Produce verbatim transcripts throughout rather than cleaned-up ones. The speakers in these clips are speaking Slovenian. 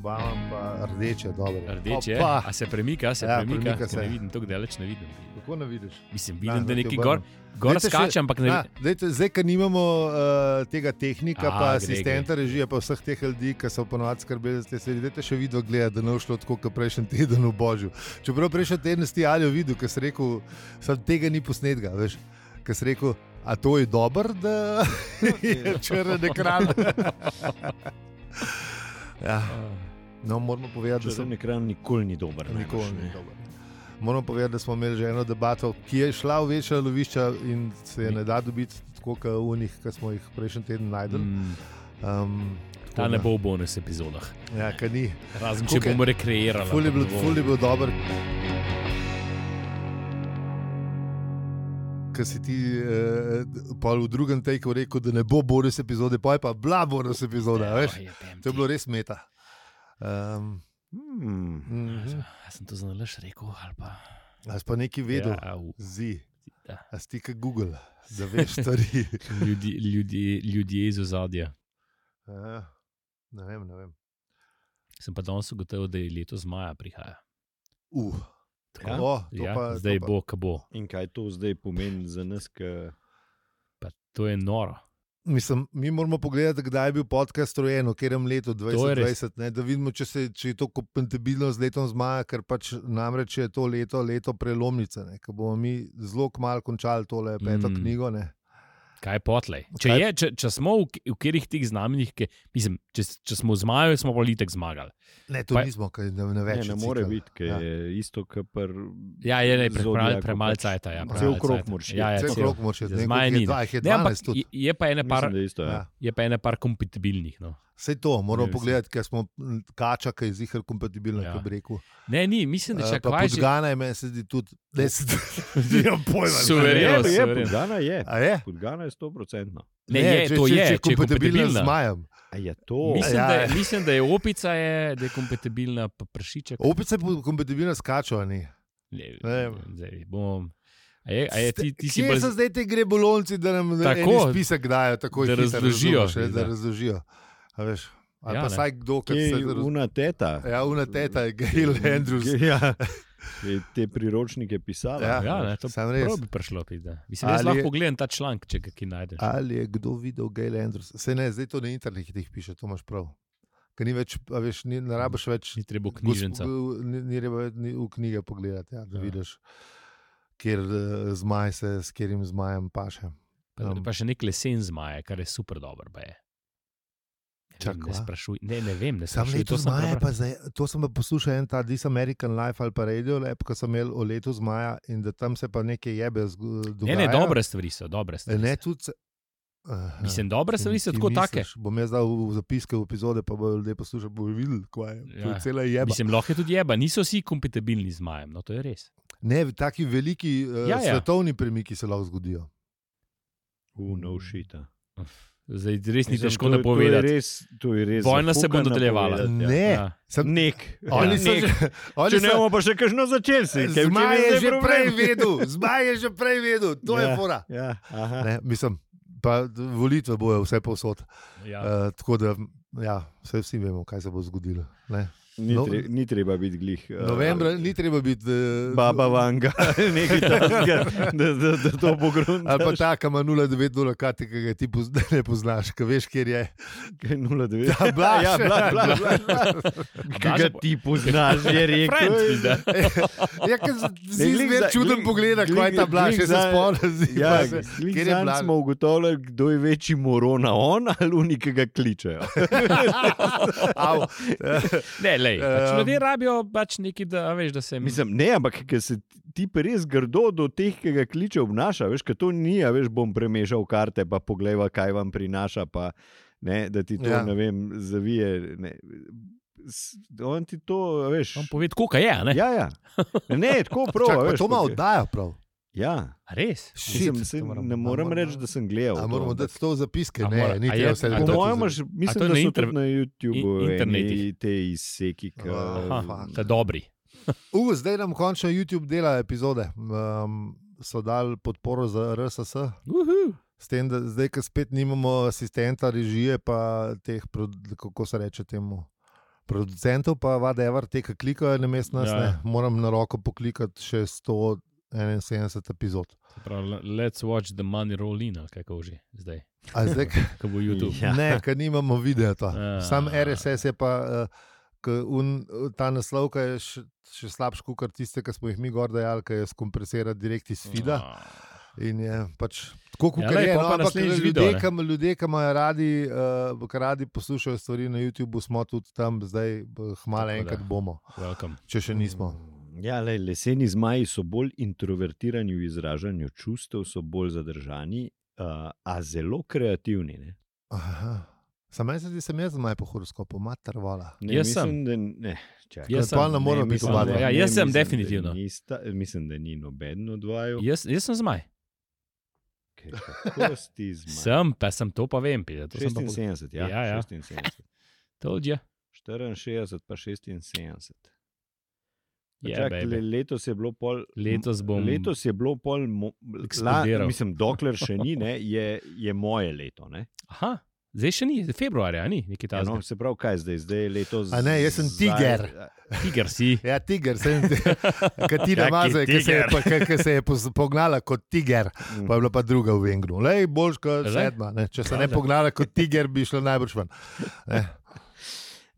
obavam, pa rdeče, dobro. Rdeče, Opa. a se premika, se Ja, premika, premika se. ne vidim, tako daleč ne vidim. Kako ne vidiš? Mislim, Na, vidim, da da ti neki obrnem. gor, gor Dajte še- skače, ampak ne Na, vidim. dajte, zdaj, ker nimamo uh, tega tehnika, A, pa gre, asistenta režije, pa vseh teh ljudi, ki so ponovadi skrbeli za te serije, dajte še video gledati, da ne bo šlo tako, kot prejšnji teden v Božju. Čeprav prejšnji teden si Aljo videl, ker si rekel, sam tega ni posnetka, veš, ker si rekel, a to je dober, da je črn ekran. Ja. No, moramo povedati, da Črn sem ekran nikoli ni dober. nikoli najbrž, ni ne. dober. Moram povedati, da smo imeli že eno debato, ki je šla v večja lovišča in se je ne da dobiti tako, kot v njih, ki smo jih prejšnji teden najdel. Mm, Um, ta ne bo v bonus epizodah. Ja, ker ni. Razen, Tako če ke- bomo rekreirali. Ful je bil, ful je bil dober. Ker si ti eh, pol v drugem tejku rekel, da ne bo bonus epizode, pa je pa bila bonus epizoda, Ja, veš? jebem To je ti. bilo res meta. Um, Hmm. mhm. Ja, sem to zanalaš rekel, ali pa... A si pa nekaj vedel? Ja, au, Zi. da. A si ti kot Google, da veš stvari. Ljudi, ljudi, ljudje iz ozadja. Ja, ne vem, ne vem. Sem pa danes ugotovil, da je letos maja prihaja. Uh, Tako, Ja? o, to ja, pa, zdaj to pa. bo, ka bo. In kaj to zdaj pomeni za nas, ki Pa to je noro. Mislim, mi moramo pogledati, kdaj je bil podcast rojen, v katerem letu dvajset dvajset, ne, da vidimo, če, se, če je to kompatibilno z letom zmaja, ker pač namreč je to leto, leto prelomnice, ne, ker bomo mi zelo kmalu končali tole peto Mm. mm. knjigo. Ne. Kaj je potlej? Če, Kaj- je, če, če smo v, v katerih teh znamenjih, ki, mislim, če, če smo v zmaju, smo pa litek zmagali. Ne, to Pa- nismo, kaj ne, ne ne, več. ne more biti, ker Ja. je isto, kot pri Ja, je ne, Zodiaku premalo pač cajta. Ja, cel premalo krog cajta. moraš iti. Ja, ja, Cel cel- krog moraš iti, za ne, zmaje koliko je ni. dva, jih je Ne, ampak dvanajst tudi. je, je pa ene par, Mislim, da je isto, ja. Ja. je pa ene par kompatibilnih. No. Vse to, moramo Ne, pogledati, ker smo m, kača, ki je zihar kompatibilna, Ja. ja. kot bi rekel. Ne, ni, mislim, da Uh, če pa kaj že... podgana je meni se zdi tudi, da se nimam pojma. Suvereno, Je, je, suvereno. podgana je. A je? Podgana je sto procentno. Ne, je, če, to če, je, če je če je kompatibilna z kompatibilna. zmajem. A je to? Mislim, Ja, da, ja. je- mislim, da je opica, je, da je kompatibilna, pa pršiček. Opica je kompatibilna s kačo, a ni? Ne, Ne. zdaj bom. A je, a je ti, ti si Kje bolj... so zdaj ti grebolonci, da nam Tako, en spisek dajo, tako da hitro, razložijo. razumeš, ne, da Ja. razložijo. A veš, ali Ja, pa ne. vsaj kdo, ki Kje se je una teta? Ja, una teta je Gail Andrews. Ja, je te priročnike pisala. Ja. Ja, ne, to Sam res. prav bi prišlo. Pide. Mislim, jaz Ali lahko je- pogledam ta članek, če ga ki najdeš. Ali je kdo videl Gail Andrews? Se ne, zdaj to na internetu jih piše, to imaš prav. Ker ni več, a veš, ni, ne rabiš več Ni treba v knjižnico. gosp- Ni, ni treba ni v knjige pogledati, ja, da Ja. vidiš, kjer uh, zmaj se s katerim zmajem paše. Pa, Um. pa še nek lesen zmaje, kar je super dobro. Pa je. Ne, Čak, vem, ne kva? sprašuj, ne, ne vem, ne Sam sprašuj. leto To sem zmaja, prebral. pa zdaj, to sem pa poslušal en ta This American Life ali pa Radio Lab, ko sem imel o letu zmaja in da tam se pa nekaj jebe zg- Ne, dogaja. ne, dobre stvari so, dobre E, stvari. Ne, so. tudi se, aha, Mislim, dobre stvari so ti tako take. misliš, Bom jaz dal v zapiske v epizode, pa bodo ljudje poslušali, bodo videli, kaj je. To Ja. je cela jeba. Mislim, lahko je tudi jeba, niso vsi kompatibilni z majem, no to je res. Ne, taki veliki uh, Ja, ja. svetovni premiki se lahko zgodijo. Uh, no shit. a. Zdaj res ni Mislim, težko to je- napovedati. To je res, to je res Vojna se bo zafukan nadaljevala. napovedati, ja. Ne, Ja. sem, Nek. oni Ja, so nek. že, oni Če ne so, bomo pa še kakšno začeli, si. kaj v čem zmaj je zdaj že problem? prej vedel, zmaj je že prej vedel, to je Ja. fora. Ja, aha. Ne, mislim, pa volitve bojo vse povsod. Ja. Uh, tako da, ja, vse vsi vemo, kaj se bo zgodilo. Ne. Ni, No- tre, ni treba biti glih. uh, Novembra ni treba biti. Uh, Baba Vanga, nekaj takega, da, da, da to pogruntaš. Ali pa ta, ki ima nula devet nula karti, ki ga ti poz, ne poznaš, ki veš, kjer je. Kaj nula devet? Ja, Blaž. ja, Blaž, Blaž, Blaž, Blaž. Ki ga ti poznaš, je rekel. Friend, pizda. Ja, ker Ne, si glih zmer za- čuden glih- pogleda, glih- kaj je ta Blaž, glih še se za- spomnim. Ja, Kjer je zanj Blaž? smo ugotovili, kdo je večji morona, on ali oni, ki ga kličejo. Au. Ne, lej, pač Um, ljudje rabijo pač nekaj, da, a veš, da se Mislim, ne, ampak ker se ti pa res grdo do teh, ki ga kliče, obnaša, veš, ker to ni, a veš, bom premešal karte, pa pogleda, kaj vam prinaša, pa ne, da ti to, Ja. ja. ne vem, zavije. Ne. S- On ti to, a veš. On pove, koliko je, a ne? Ja, ja. Ne, tako prav. Čak, a pa veš, to ima kot je- oddaja prav. Ja, A res? mislim, Shit. se, to moram- ne morem a reči, moramo- da sem gledal. A to, moramo ampak- dati to v zapiske? A Ne, mora- ni a je- treba vse a Po to- dati v mojem, zapiske. imaš- mislim, to je da na so inter- tudi na YouTubeu in- internetih. eni te izseki. ki- Aha, fuck. ta dobri. Uh, zdaj nam končno YouTube dela epizode. Um, so dali podporo za R S S. Uhu. S tem, da zdaj, ko spet nimamo asistenta režije, pa teh, pro- kako se reče temu, producentov, pa whatever, te, ki klikajo na mest nas, Ja. ne, moram na roko poklikati še sto enainsedemdeset epizod. Pravi, let's watch the money roll in, ali kako že zdaj, A zdaj, ko bo YouTube. Ja. ne, ker nimamo videa to. Ja. Sam R S S je pa, uh, k un, ta naslovka je še, še slabš kot tiste, ki smo jih mi gor dajali, ki je skompresira direkt iz feeda. In je pač tako, kot Ja, ja, lej, je. pol No, pa ampak naslednjič ljudje, video, ne. ki, ljudje, ki imajo radi, uh, ki radi poslušajo stvari na YouTubu, smo tudi tam, zdaj hmalo Tako da. enkrat bomo, Welcome. če še nismo. Ja, lej, leseni zmaji so bolj introvertirani v izražanju čustev, so bolj zadržani, uh, a zelo kreativni. Ne? Aha. Sam meni se zdi, sem jaz zmaj po horoskopu, mater vola. Ne, Jaz sem. mislim, da ne. Čakaj. Jaz sem. Pa ne moramo Ne, biti mislim, oba dva. da- Ja, ne, jaz sem mislim, da definitivno. nista- Mislim, da ni noben od vaju. Jaz, jaz sem zmaj. Kaj, kako si zmaj? Sem, pa sem to pa vem. Pide, to sem pa pog- šestinsedemdeset, ja. Ja, ja. šestinsedemdeset. Told you. štiriinšestdeset pa šestinsedemdeset. Yeah, Čak, baby. le, letos je bilo pol. Letos bom Letos je bilo pol. Mo, la, eksplodiral. mislim, dokler še ni, ne, je, je moje leto. Ne? Aha, zdaj še ni, februarja, ni nekaj Ja, no, takega. se pravi, kaj zdaj, zdaj je letos. A ne, jaz sem zdaj- tiger. Tiger si. Ja, tiger, sem Katina Kaki Mazaj, ki se je, tiger? pa- ki- ki se je pos- pognala kot tiger, Mm. pa je bila pa druga v Vengru. Lej, boljš kot Zdaj? sedma. Ne? Če se ne Pravda. pognala kot tiger, bi šla najbrž ven. Ne.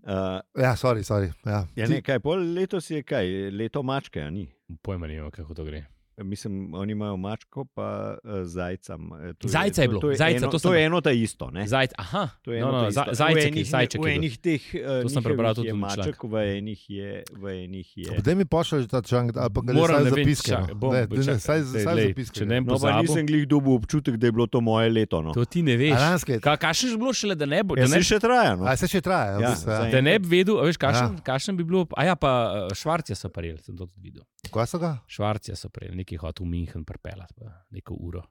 Uh, Ja, sorry, sorry. Ja. ja, Ti- ne, kaj, pol letos je kaj, leto mačke, a ni. Pojma nimam, kako to gre. Mislim, oni imajo mačko, pa uh, zajca. eh, to Zajca je bilo, to, to, zajca, eno, to to, sem- to je eno ta isto. Ne? Zajc, aha, To je no, eno no, ta za, isto. V zajček, enih- zajček V je bil. enih teh uh, To sem prebral tudi je v maček, članku. v enih je. V enih je. Potem mi pošlji ta članek, ali pa ga Moram, ne ne vem, zapiske. čak, no. bom, Ne, bo, ne, čakaj, Saj zdaj, saj lej, zapiske. če ne No, pa pozabil, nisem glih dobil občutek, da je bilo to moje leto. No. to ti ne veš. A lanske? Ka, kašen je bilo šele, da ne bo, Ja, da ne, se še traja. No. A se še traja? Ja, v bistvu, ja. zdaj- da ne bi vedel, a veš, kašen, Ja. kašen bi bilo, a ja, pa eh, Švarcija so prijeli, sem to tudi videl. Kaj so ga? Švarcija so prijeli, neki hotel v München pripeljati, pa neko uro.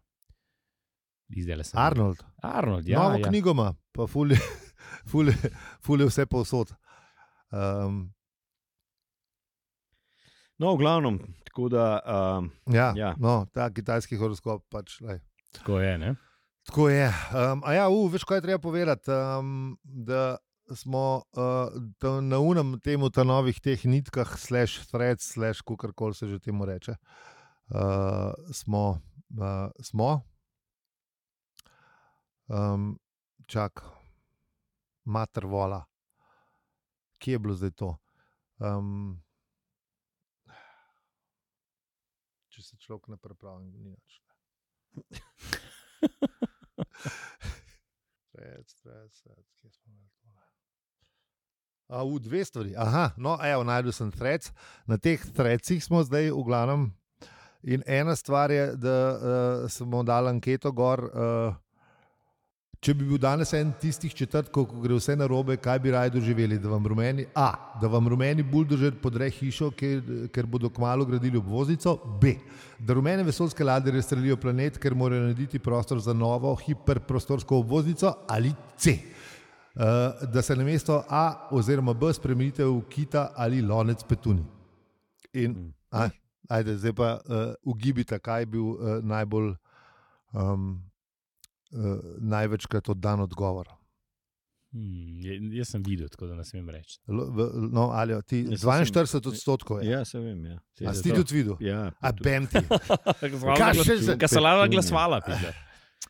Izdele sem. Arnold. Arnold, ja. Novo ja. knjigo ima, pa ful je, ful je, ful je vse povsod. Um, No, v glavnem, tako da. Um, ja, Ja. No, ta kitajski horoskop pač. Lej. Tako je, ne? Tako je. Um, a ja, u, veš, kaj je treba povedati? Um, da smo uh, ta, na unem temu, ta novih teh nitkah, slash threads, slash kakorkoli se že temu reče. Uh, smo, uh, smo. Um, čak, mater vola. Kje je bilo zdaj to? Um, če se človek ne pripravi, ni nič. Stred, stred, stred, kje smo imeli tole? A, v dve stvari. Aha, no, evo, najdel sem threads. Na teh threadsih smo zdaj v glavnem. In ena stvar je, da uh, smo dali anketo gor. Uh, če bi bil danes en tistih četrtkov, ko gre vse na robe, kaj bi raje doživeli? Da vam rumeni, A, da vam rumeni buldožer podre hišo, ker, ker bodo kmalu gradili obvoznico. B, da rumene vesoljske ladje razstrelijo planet, ker morajo narediti prostor za novo hiperprostorsko obvoznico. Ali C, uh, da se namesto A oziroma B spremenite v kita ali lonec petuni. In, a, ajde, zdaj pa uh, ugibite, kaj je bil uh, najbolj um, uh, največkrat oddan odgovor. Hmm, je- jaz sem videl, tako da ne smem reči. L- v- No, ali ti Jaz sem- dvainštirideset odstotkov je. ja, se vem. Ja. Se, A da si ti to- tudi videl? Ja, A tudi- bem ti. Kaj še za- Kaj so lava glasovala, pizda.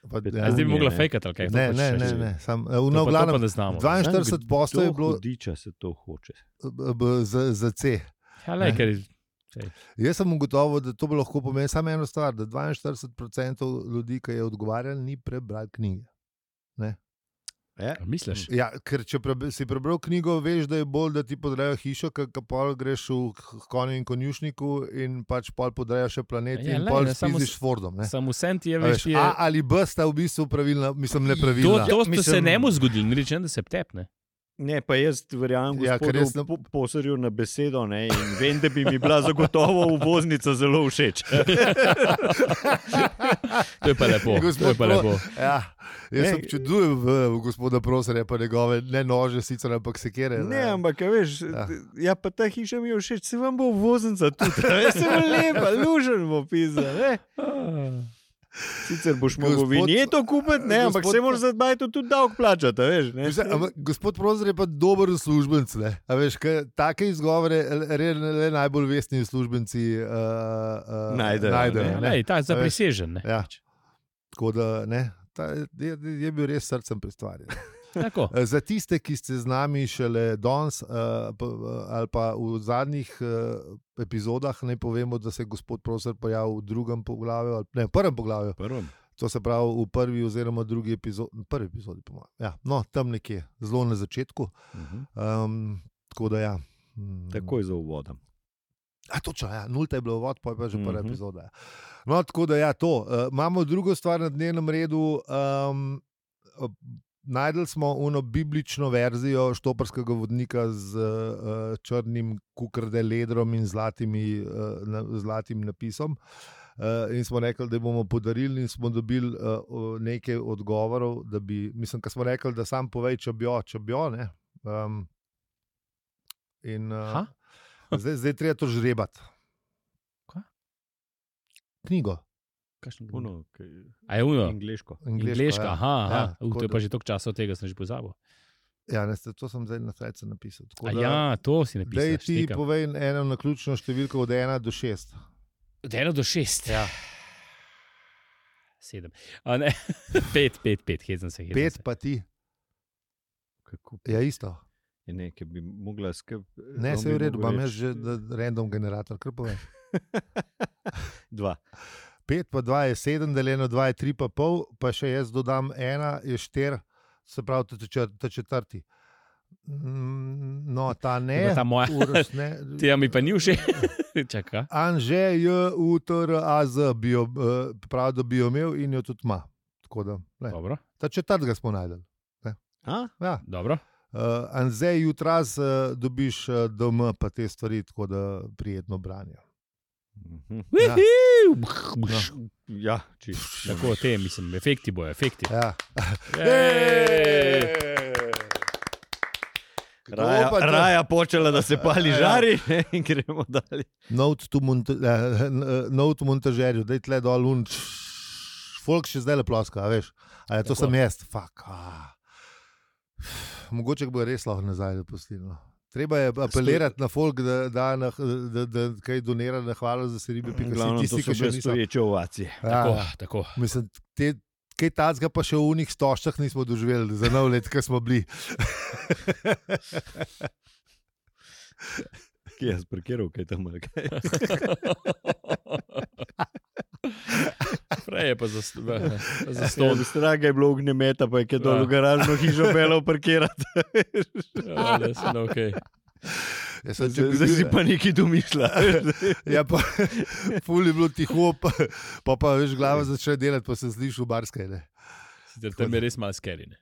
Pa, Ja, ja, A zdaj bi ne, mogla ne. fejkati, ali kaj? To ne, pač ne, še- ne, še- ne. Sam, uh, To no, pa- to glavnem, pa ne znamo. dvainštirideset posto je Kdo bilo hudiča se to hoče. b- b- za, za C. Ja, lej, Ne. ker Jaz sem ugotovil, da to bo lahko pomenilo samo eno stvar, da dvainštirideset procentov ljudi, ki je odgovarjalo, ni prebral knjige. Ja? misliš? Ja, ker če prebe, si prebral knjigo, veš, da je bolj, da ti podrejo hišo, ker pol greš v k- konju in konjušniku in pač pol podrejo še planet Ja, in lej, pol ne, samo spiziš s- s Fordom. Ne? Samo sen ti je, A veš, Veš, je... A ali B sta v bistvu pravilna, mislim, To, nepravilna. to ste se Mislim- njemu zgodili, ni rečeno, da se tepne. Ne, pa jaz verjamem, Ja, ker gospodu jaz ne- po, posarju na besedo ne, in vem, da bi mi bila zagotovo uvoznica zelo všeč. To je pa lepo. To Gospod je pa Pro- lepo. Ja, jaz Ne. se občudujem v, v gospoda Proserja, pa njegove ne nože, sicer, ampak sekere. Ne, ampak a veš, Ja. ja. ja, pa ta hiša mi je všeč, se vam bo uvoznica tudi. Jaz sem lepa, lužen bo pisa. Ne? Sicer boš mogel Gospod- vinjeto kupiti, ne, ampak gospod- se moraš za bajto tudi davek plačati, a veš. Ne? Veš, ampak gospod Prozor je pa dober uslužbenc. Ne? A veš, kaj, take izgovore le, le najbolj vestni uslužbenci uh, uh, Najdejo, najdejo ne. ne. Lej, ta je A veš, zaprisežen. ne. Ja. Tako da ne, ta je, je bil res srcem pri stvari. Tako. Za tiste, ki ste z nami šele danes uh, pa, ali pa v zadnjih uh, epizodah, naj povemo, da se je gospod Prozor pojavil v drugem poglavju, ali, ne, v prvem poglavju. Prvem. To se pravi v prvi oziroma drugi epizodi, prvi epizodi, po mojem. Ja, no, tam nekje, zelo na začetku. Uh-huh. Um, tako da ja. Mm. Takoj za uvodom. A, točno, ja, nulta je bila uvod, pa je pa že prva Mhm. epizoda. Ja. No, tako da ja, to. Uh, imamo drugo stvar na dnevnem redu. Um, uh, najdel smo uno biblično verzijo štoparskega vodnika z uh, črnim kukrde ledrom in zlatimi, uh, na, zlatim napisom. Uh, in smo rekli, da bomo podarili, in smo dobili uh, nekaj odgovorov, da bi, mislim, kar smo rekli, da sam povej, če bi jo, če bi jo, ne. Um, in uh, zdaj, zdaj treba to žrebati. Kaj? Knjigo. Kakšno knjigo? Uno, kaj, A je uno? angleško. Angleška, ja. aha, aha. Ja, Uh, tako to je da- pa že toliko časa od tega, sem že pozabil. Ja, ne, to sem zdaj na srcu napisal. Tako A da- ja, to si Daj napisal. ti štekam. povej eno naključno številko od ena do šest. Od ena do šest. Ja. Sedem. A ne, pet, pet, pet, hezen se. hezen Pet se. pa ti. Kako? Ja, isto. Je nekaj bi mogla skrb. Ne, se je v redu, imam jaz že da, random generator. Kar povej. Dva. Pet pa dva je sedem, deljeno dva je tri pa pol, pa še jaz dodam ena je štiri, se pravi ta četr- ta četrti. Mm, No, ta Je ne. pa ta moja. Uroš ne. Tega mi pa ni všeč. Čaka. Anže J, U, T, R, A, Z, bi jo, eh, pravi, da bi jo imel in jo tudi ima. Tako da, glej, Dobro, ta četrtega smo najdel. A? Ja. dobro. Uh, Anzej, jutras uh, dobiš uh, D M, pa te stvari, tako da prijetno branje. Mhm. Ja. Uhuh. Ja, čisto. Tako, te, mislim, efekti bojo, efekti. Ja. Ej! Kdo Raja, pa to? raja počela, da se pali Ja. žari in gremo dalje. Note to monta eh, note montažerju, da je tle dol un. Folk še zdaj le ploska, a veš. A je to Tako. sem jaz, fuck. Ah. Mogoče bo res lahko nazaj zapustilo. Treba je apelirati na folk, da, da, na, da, da kaj donira na hvala za seribe. Glavno, to so bile stoječe ovacije. Tako, Ja, tako. mislim, te, kaj tacga pa še v unih stoščah nismo doživeli, za nov let, ki smo bili. Kje je sparkiral, kaj tam ali kaj? Prej je pa za, v- za Stol. stol. Straga je bilo ognjemeta, pa je kaj dol Ja. v garažno hišo pelal parkirati. Ja, da se ne, okay. Ja, sem, če bi Zdaj si bil- pa nekaj domišlja. Ja, pa ful je bilo tiho, pa, pa, pa veš, glava začne delati, pa se zdiš v barskaj. Ne. Sicer tam je res malo scary. Ne?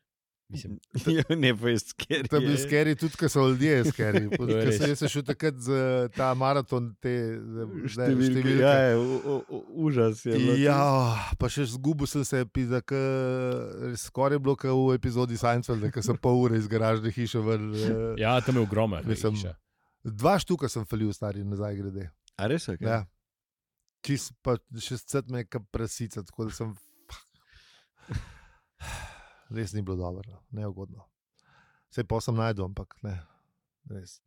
Mislim, Ja, ne, pa je skeri. To je bil skeri, tudi ko so ljudje skeri. To je res. Jaz sem šel takrat za ta maraton, te zdaj, Številke. številke. Ja, je, u, u, užas je. bilo. Ja, pa še zgubil sem se, pizda, k, skoraj je bilo kot v epizodi Seinfeld, ko sem pol ure iz garažne hiše ven. eh, ja, tam je ogromno. Mislim, Dva štuka sem falil, stari, nazaj grede. A res je? kaj? Ja. Čist pa še scet me je prasica, tako da sem. Res ni bilo dobro, no. Neugodno. Sej pa sem najdel, ampak ne. Res.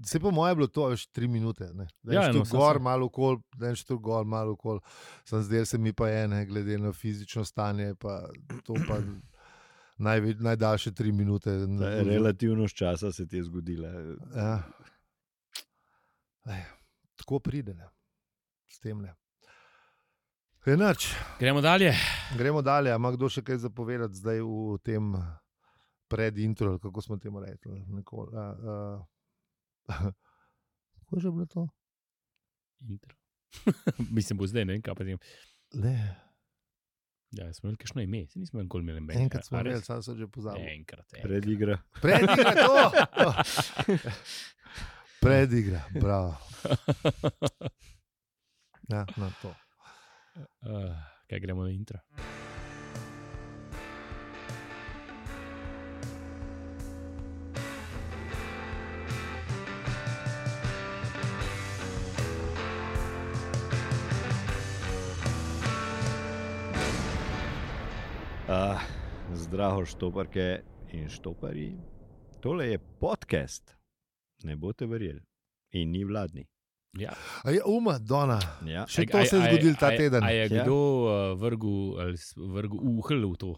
Se po moje je bilo to veš tri minute. Ne. Ja, Ja, no, no, saj gor, sem- malo okol, en štuk gor, malo okol. Sem zdel se mi pa ene, glede na fizično stanje, pa to pa najve, najdaljše tri minute. Ta relativnost časa se ti je zgodila. Ja. Ej, tako pride, ne. S tem ne. Enač. Gremo dalje. Gremo dalje. A ima kdo še kaj zapovedati zdaj v tem predintro, ali kako smo temu rekli? Nekol, a, a, kako je že bilo to? Intro. Mislim, bo zdaj, ne vem, kaj pa tem. Le, Ja, smo imeli kakšno ime, se nismo nikoli imeli meni. enkrat smo imeli, sam sem že pozabil. Enkrat, enkrat. Predigra. Predigra to! Predigra, bravo. Ja, na to. Uh, kaj gremo na intro? Uh, zdravo, štoparke in štoparji. Tole je podcast, ne boste verjeli. In ni vladni. Ja. A je uma, Dona. Ja. Še to se je zgodilo ta teden. A je Ja. kdo uh, vrgel, ali s- vrgel uhl v to,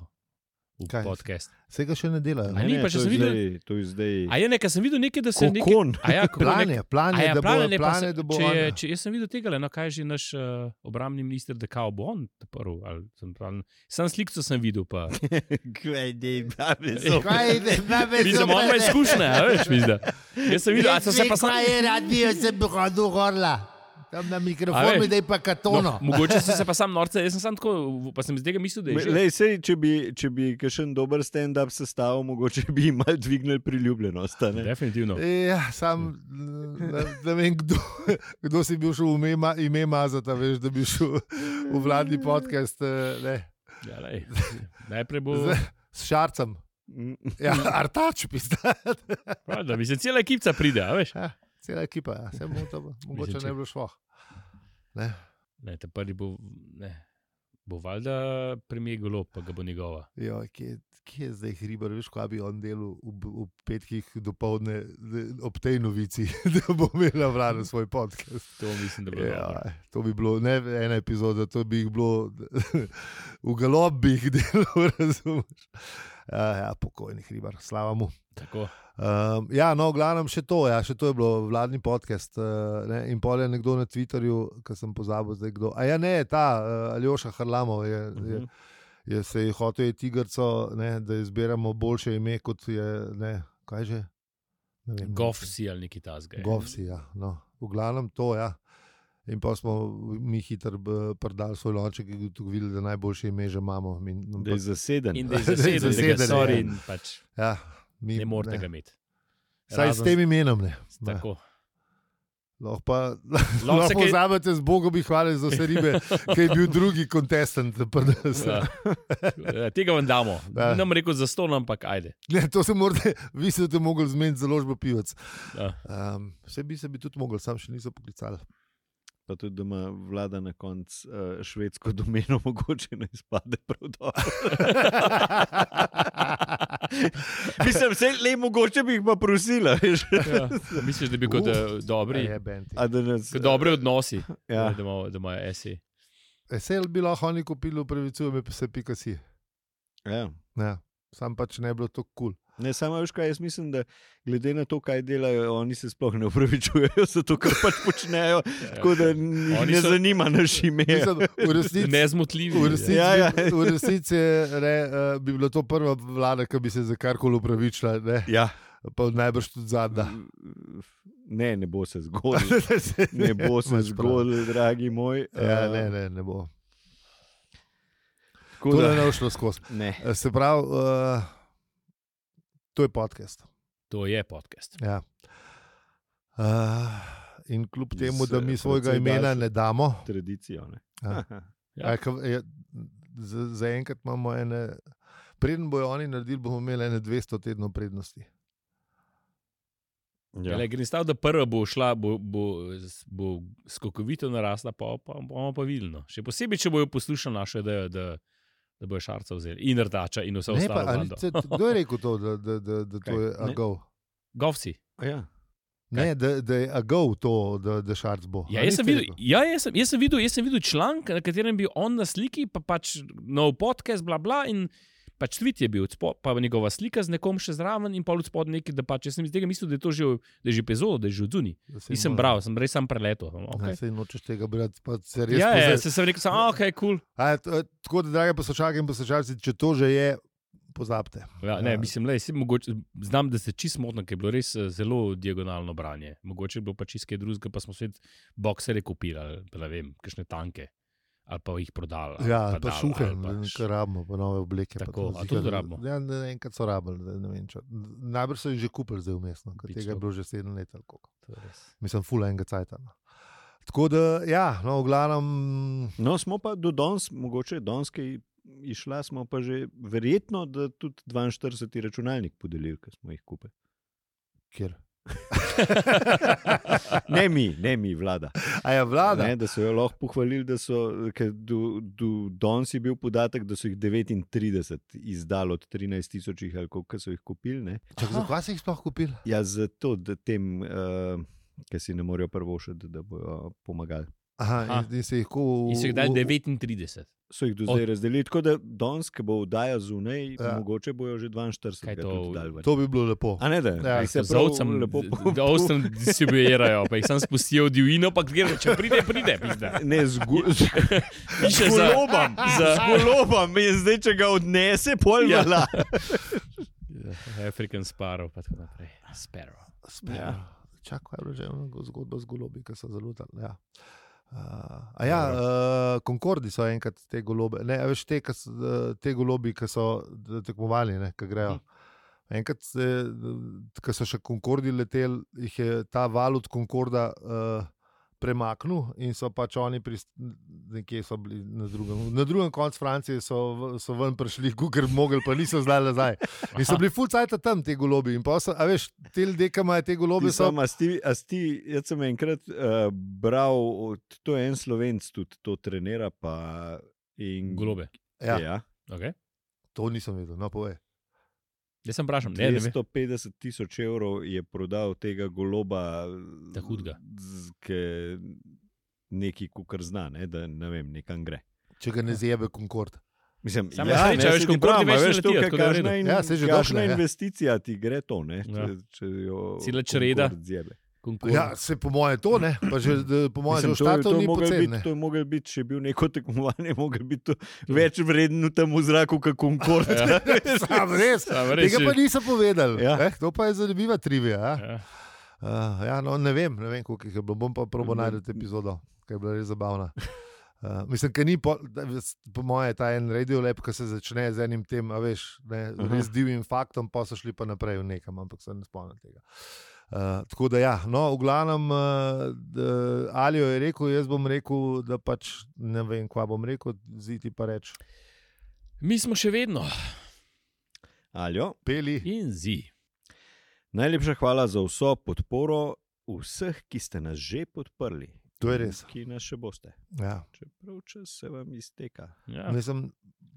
v Kaj? podcast? Se ga še ne delajo. A Ne? ni, pa to če je sem videl- zdaj, to je zdaj A je nekaj, sem videl nekaj, da se nekaj... kokon. A ja, kako Plan nek... je, plan A je, ja, da bo, plan je, pa plan se- je, da bo če, je, on- če, jaz sem videl tega, no, kaj je že naš uh, obrambni minister, da kao bo on prvi. ali sem prav- Sam slikco sem videl, pa Kaj ne, babe, Kaj je, babe, vidim, on ima izkušnje, a veš, mislim. Jaz sem videl, a sem se pa sam... je radio, sem bi hodil gorla. Tam na A mikrofonu, veš? da je pa katono. No, mogoče sem se pa sam norce, jaz sem sam tako, pa sem iz tega mislil, da je že... Lej, sej, če bi, če bi kakšen dober stand-up sestavil, mogoče bi jim malo dvignili priljubljenost. a ne? Definitivno. Ja, sam ne, ne vem, kdo, kdo si bil šel v ime, ime mazati, veš, da bi šel v vladni podcast eh, ne, Ja, lej. Najprej bo... z, s Šarcem. Ja, Artač, pista. Prav, da bi se cela ekipca pride, a veš? Ja, cela ekipa, ja. Se bo to, mogoče Mislim, če- ne bi bilo šlo. Ne. Ne, te prvi bo, ne, bo valjda premijer Golob, pa ga bo njegova. Jo, kje, kje je zdaj Hribar, veš, kaj bi on delal v, v petkih dopoledne ob tej novici, da bo imela vlada svoj podcast. To mislim, da bo dobro. Ja, to bi bilo ne ena epizoda, to bi jih bilo v galob bi jih delal, razumeš. Ja, ja, pokojni Hribar, slava mu. Tako. Um, ja, no, v glavnem še to, ja, še to je bilo vladni podcast. Uh, ne, in pol je nekdo na Twitterju, ki sem pozabil zdaj kdo. A ja, ne, ta uh, Aljoša Harlamov je, uh -huh. je, je se je hotel je tigrco, ne, da izberemo boljše ime, kot je, ne, kaj že? Ne vem, Govsi ali neki tasga. Govsi, ja. No, v glavnem to, ja. In pa smo mi hitro b- prdali svoj lonček in ugotovili, da najboljše ime že imamo. Mi, no, Da je zaseden. In da je Da je zaseden, da ga zaseden, sorry ja. in pač ja, mi, ne morete ga imeti. Saj s Razen- tem imenom ne. Ne. Tako. Lahko pa Lahko lahko se kaj- pozabite z Bogom bi hvali za vse ribe, ki je bil drugi kontestant. Ja. Ja, tega vam damo. Ja. Nam rekel za ston, ampak ajde. Ne, to se morate, vi ste to mogli zmeniti založbo pivec. Ja. Um, vse bi se bi tudi mogli, sam še niso poklicali. Pa tudi, da ima vlada na koncu uh, švedsko domeno, mogoče ne izpade prav dobro. Mislim, se le mogoče bi jih pa prosila, veš. Ja. Misliš, da bi kot Uf, uh, dobri, Je, Benti. A da nas, kot dobri odnosi, Ja. da imajo- da imajo esi. Esel bi lahko oni kupili, upravičujem, me pa se pika si. Ja. Ja, sam pač ne bi bilo tako kul. Cool. Ne, samo veš kaj, jaz mislim, da glede na to, kaj delajo, oni se sploh ne upravičujejo za to, kar pač počnejo, tako da njih Oni ne so- zanima naš ime. Mislim, v resnici, Nezmotljivi. v resnici, Ja, ja. bi- v resnici ne, uh, bi bila to prva vlada, ki bi se za karkoli upravičila, ne, Ja. pa najbrž tudi zadnja. Ne, ne bo se zgodilo. Ne bo se Imaš prav. zgodilo, dragi moj. Ja, Eh, ne, ne, ne bo. tako To da- ne bo šlo skozi. Ne. Eh, Se pravi, uh, to je podcast. To je podcast. Ja. Uh, in kljub Z, temu, da mi eh, svojega precej imena daljšo- ne damo, Tradicijo. Ne. Ja. Ja. ja. ka- je, za- zaenkrat imamo ene, preden bojo oni naredili, bomo imeli ene dvesto tednov prednosti. Ja. Ja. Grem stav, da prva bo šla, bo, bo, bo skokovito narasla, pa pa bomo pa vidno. Še posebej, če bojo poslušali našo idejo, da, da bojo Šarca vzeli in Rdača in vse Ne, pa, ostalo. ali, bando. te, kdo je rekel to, da, da, da, da to Kaj? je Ne. agov? Govsi. Ja. Ne, da, da je agov to, da, da Šarc bo. Ja, A jaz, sem niste videl, rekel? ja jaz, sem, jaz, sem videl, jaz sem videl članek, na katerem je bil on na sliki, pa pač nov podcast, bla bla. In pač tweet je bil, odspod, pa njegova slika z nekom še zraven in pa od spodaj nekaj, da pač jaz sem iz tega mislil, da je to že, da je že epizoda, da je že odzuni. Da se Nisem mora- bral, sem res sam preletel. Okay. Okay. Sej nočeš tega brati, pa se res Ja, ja, pozaj- se sem rekel, samo, ok, kul. A, je to- je tako da, drage poslušalke in poslušalci, če to že je, pozabite. Ja, ne, mislim, lej, si mogoče, znam, da se čist motno, ker je bilo res eh, zelo diagonalno branje. Mogoče je bilo pa čist kaj drugega, pa smo svet boksere kupili, ali pa ne vem, kakšne tanke. Ali pa jih prodali. ali Ja, pa, dali, šuhe, ali pa š- kar rabimo, pa nove obleke. pa Tako, to a zika- to tudi rabimo? Ja, ne, enkrat so rabili, zdaj ne vem. Če, najbrž so jih že kupili zdaj vmesno, ker Pično. tega je bilo že sedem let ali koliko. To je res. Mislim, full enega cajta. No. Tako da, ja, no, v glavnem, No, smo pa do danes, mogoče danes, ki išla, smo pa že verjetno, da tudi dvainštirideset računalnik podelili, ki smo jih kupili. kjer. Ne mi, ne mi, vlada. A je vlada? Ne, da so jo lahko pohvalili, da so, ker do, do danes je bil podatek, da so jih devetintrideset izdali od trinajst tisoč ali koliko so jih kupili. Ne. Čak, zakaj si jih sploh kupili? Ja, zato, da tem, uh, ki si ne morejo prvošiti, da bojo pomagali. Aha, Aha. in, in se jih ko... In so jih dali devetintrideset. So jih do zdaj razdelili, tako da danes, ki bo vdaja zunaj, Ja. ja. mogoče bojo že dvainštirideset Kaj krat to- tudi dali ven. To bi bilo lepo. A ne, da Ja, jih se Z prav ovcem lepo po- da ovcem distribuirajo, pa jih sam spustijo v divjino, pa gre, če pride, pride, pizda. Ne, z, gu, z, Piše z za- golobom, za- z golobom in zdaj, če ga odnese, pol Ja. vala. African Sparrow, pa tako naprej. Sparrow. Ja. Čak, kaj je bilo že ona zgodba z golobi, ki so zelo tam. Ja. Uh, a ja, uh, Concordi so enkrat te golobe, ne, a veš, te, kas, uh, te golobi, ki so d- tekmovali, ne, ki grejo. Enkrat, ko so še Concordi leteli, jih je ta val od Concorda uh, premaknil in so pač oni prist, nekje so bili na drugem, na drugem koncu Francije, so, v- so ven prišli, ker mogli, pa niso zdaj nazaj. In so bili ful cajt tam te golobi. In pa so, a veš, te ljudje, ki imajo te golobe, so. Sam, a sti, a sti, jaz sem enkrat uh, bral, od- to je en Slovenc tudi to trenira, pa in Golobe. Ja, Ja, Okay. to nisem vedel, no povej. Jaz sem vprašal, ne, ne vem. dvesto petdeset tisoč evrov je prodal tega goloba, Ta hudega. z- ke neki kukar zna, ne, da ne vem, nekam gre. Če ga ne zjebe Concord. Mislim, Samo sreča, ne, veš, saj ti Concordi pravim, a več ne veš, to, letijo, kaj- tako da je v kakšna redu. in- Ja, saj že kakšna došle, ja. investicija ti gre to, ne, če, Ja. če jo Cela čreda. Concord zjebe. Concord. Ja, se po moje to ne, pa že d- po moje že Mislim, v to, je- štatu to, ni mogel poceni. biti, ne. to je mogel biti, če je bil neko tekmovanje, mogel biti to več vredno tam v zraku, kot Concord. Ja. Sam res. Samo res, Tega pa niso povedali. Ja. Eh, to pa je zanimiva trivija. Ja. Ja. Uh, ja, no, ne vem, ne vem, koliko jih je bilo. Bom pa probo najti epizodo, ki je bila res zabavna. Uh, mislim, da ni po, da, po moje ta en radio lep, ki se začne z enim tem, a veš, ne, res divjim faktom, pa so šli pa naprej v nekam, ampak se ne spomnim tega. Uh, tako da ja, no, v glavnem uh, Alijo je rekel, jaz bom rekel, da pač ne vem, kva bom rekel, ziti pa reč. Mi smo še vedno Aljo, Peli. in zi. najlepša hvala za vso podporo vseh, ki ste nas že podprli. To je res. Ki nas še boste. Ja. Čeprav čas se vam izteka. Ja. Mislim,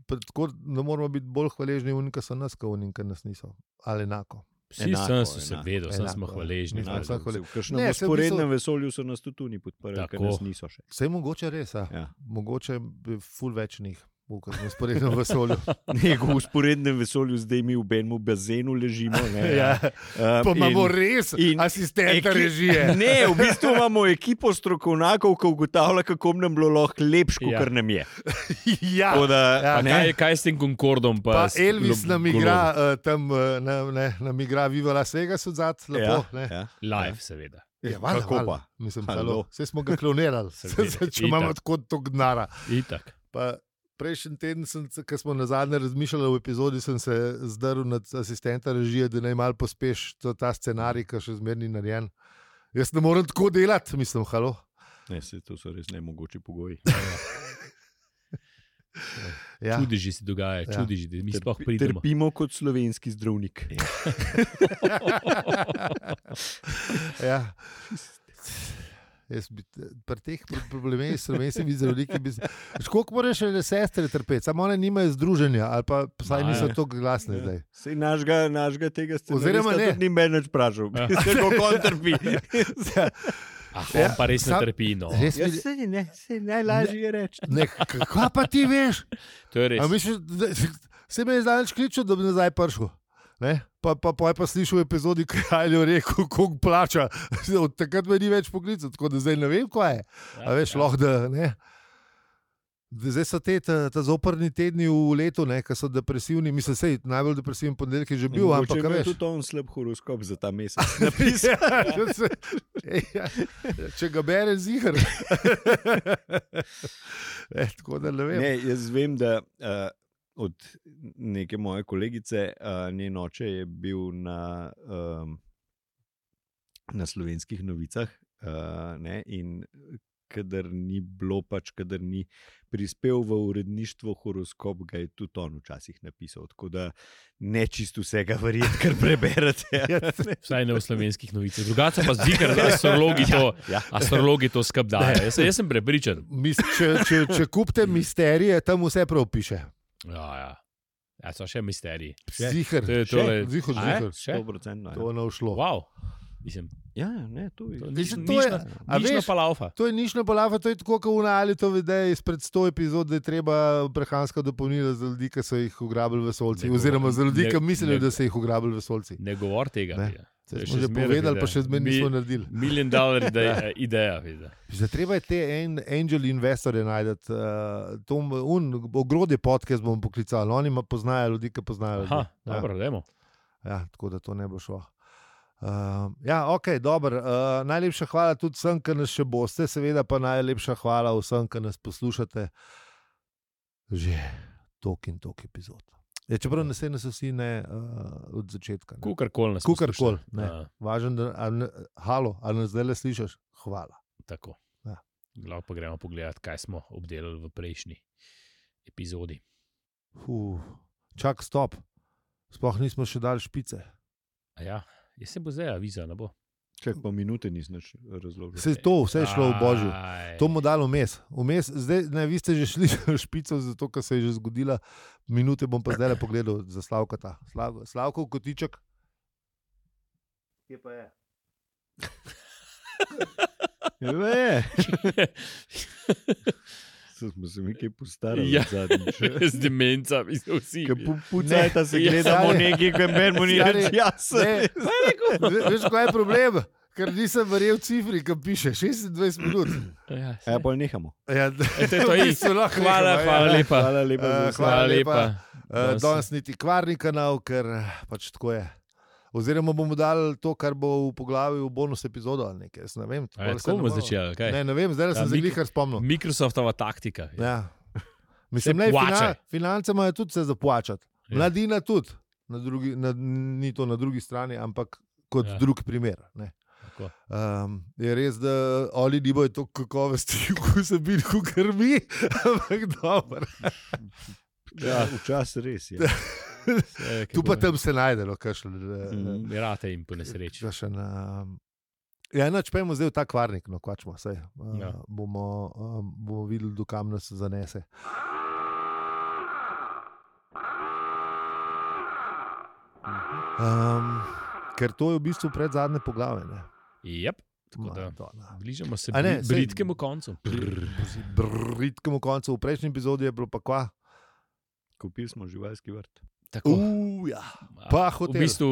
pa tako ne moramo biti bolj hvaležni, unika so nas, kot unika nas niso. Ali enako. Vsi Enako, sem so se enako, vedeli, sem enako, smo ja. hvaležni. Mi smo Enako. vsak hvale- V kakšnem Ne, saj v usporednem bistvu- vesolju so nas tudi oni podprli, ker Tako. nas niso še. Vse je mogoče res, a? Ja. Mogoče bi ful več njih, v sporednem vesolju. Nego v usporednem vesolju zdaj mi v benmu bazenu ležimo. Ne, Ja. Uh, Pa imamo in- res in asistenta eki- režije. Ne, v bistvu imamo ekipo strokovnjakov, ki ugotavlja, kako nam bilo lahko lepše, kot Ja. nam je. Ja. Tako da, Ja, a ne, Kaj, kaj s tem Concordom? Pa, Pa s Elvis glo- nam igra uh, tam, uh, ne, ne, nam igra Viva Las Vegas odzad, lepo. ja, Ja, ja. Live, seveda. ja, valjda, Kako valjda. pa? Mislim, Halo. halo. Vse smo ga klonirali, Seveda, če imamo itak. tako tog denara. Itak. Pa prejšnji teden, ko smo na zadnje razmišljali v epizodi, sem se zdrl nad asistenta režije, da naj malo pospeš to, ta scenarij, ki še zmerni narejen. Jaz ne morem tako delati, mislim, halo. Ne, se, to so res nemogoči pogoji. Ja. Čudeži se dogaja, Ja. čudeži, da mi sploh Trpi- pridemo. Trpimo kot slovenski zdravnik. Ja. Jaz bi pri teh problemih s slovenskimi zdravniki, koliko moraš še sestre trpeti, samo one nimajo združenja, ali pa vsaj niso Ne. tako glasne zdaj. Sej našega, našega tega Oziroma scenarista ne. tudi ni meni več vprašal. Ja. Kako on trpi. Ah, Ja, on pa res ne sam- trpi. No. Res Ja, mi- sej, ne, sej najlažje je reči. Ne, kaj pa ti veš? To je res. A misliš, da se me je zdaleč kličal, da bi nazaj prišel. Ne? Pa, pa, pa je pa slišal v epizodi, kaj je rekel, koliko plača. Od takrat me ni več poklical, tako da zdaj ne vem, kaj je. A veš, lahko da ne. Zdaj so te ta, ta zoprni tedni v letu, ki so depresivni. Mislim, sej, najbolj depresivni ponedeljek je že bil, Mogoče ampak a ima veš. tudi on slab horoskop za ta mesec. Ja, če se- ja, če ga bere ziger. E, tako da ne vem. Ne, jaz vem, da uh, od neke moje kolegice, uh, njen oče je bil na, um, na Slovenskih novicah uh, ne, in kadar ni bilo, pač kadar ni prispel v uredništvo horoskop, ga je tudi on včasih napisal. Tako da ne čisto vsega verjeti, kar preberete. Vsaj ne v slovenskih novicah. Drugače pa zdi, da astrologi to, Ja. astrologi to skabdajo. Jaz, jaz sem prepričan. Mis, če, če, če kupite misterije, tam vse prav piše. Ja, ja. Ja, so še misteriji. Zihar, To je tole- zihar, A je? zihar. Še? sto procentno. To je naušlo. Wow. Mislim, Ja, ne, to je. to, Mislim, nič, to je- nič, a nič veš- pa laufa. To je nišna palava, to je tako, kot v Nali to vede izpred sto epizod, da je treba prehranska dopolnila za ljudi, ki so jih ugrabili vesolci. Ne Oziroma za ljudi, ne- ki mislijo, ne- da so jih ugrabili vesolci. Ne govor tega. Ne. Vida. To Se je smo še že zmeraj povedali, vida. pa še zmeraj Mi- nismo naredili. Million dollar ideja. ideja vida. Zdaj, treba je te en, angel investorje najti. Uh, to un, ogrodje podcast bomo poklicali. Oni ima poznajo ljudi, ki poznajo ljudi. Aha, Ja. dobro, dajmo. Ja, tako da to ne bo šlo. Uh, ja, ok, dobro. Uh, najlepša hvala tudi vsem, ki nas še boste, seveda pa najlepša hvala vsem, ki nas poslušate že tok in tok epizod. Ja, čeprav ne se nas vsi ne uh, od začetka. Ne. Kukarkoli nas Kukarkoli, posluša. ne. Ja, Važen, da a ne, halo, ali nas zdaj le slišiš? Hvala. tako. Ja. Lahko pa gremo pogledat, kaj smo obdelali v prejšnji epizodi. Fuh, čak, stop. Sploh nismo še dali špice. A ja, jaz se bo zdaj aviza, ne bo. Čak pa minute nisem razložil. Vse to, vse je šlo v božju. Aj. To mu dalo vmes. Vmes, zdaj, ne, vi ste že šli v špico, zato ker se je že zgodila. Minute bom pa zdaj le pogledal za Slavkata. Slav, Slavkov kotiček. Kje pa je? Je. Smo se mi kaj postarali Ja. zadnjič. Z demencami so vsi. Pucajta se Ja, gledamo stari. nekaj, kar meni mu ni Stari, reč jasno. Ne, ve- veš, kaj je problem? Ker nisem verjel cifri, ki piše šestindvajset minut. Ja, Ja, pa nehamo. Ja, E, to je to, v i. bistvu lahko Hvala, nehamo, hvala ja. lepa. Hvala lepa za Eh, vse. hvala Hvala lepa. lepa. Uh, Danes- danes niti kvarni kanal, ker eh, pač tako je. Oziroma bomo dali to, kar bo v poglavju v bonus epizodo ali nekaj. Jaz ne vem. A je, se tako ne bomo moremo- začeli, kaj? Ne, ne vem, zdaj Ja, sem se Mik- jih spomnil. Microsoftova taktika. Ja. Mislim, Se ne, plačaj. finan, finance imajo tudi se zaplačati. Ja. Mladina tudi. Na drugi, na, ni to na drugi strani, ampak kot Ja. ja. drug primer. Ne. Tako. Um, je res, da oni nimajo toliko kakovosti v vsebini, kot mi, ampak dobro. Ja, včasih res je. Vse, Tu kako pa je. tam se najde, no, kakšen. Mm, Rate jim po nesreči. Kakšen, um, ja, noč pojmo zdaj v ta kvarnik, no, kvačmo se. Uh, Ja. bomo, um, bomo videli, dokam nas zanese. Um, ker to je v bistvu pred zadnje poglavje. Ne? Yep. Tako da Madonna. bližamo se A ne, bri- saj- britkemu koncu. Britkemu koncu, v prejšnji epizodi je bilo pa kva. Kupili smo živalski vrt. Tako. Uh, ja. Pa v hotel. bistvu,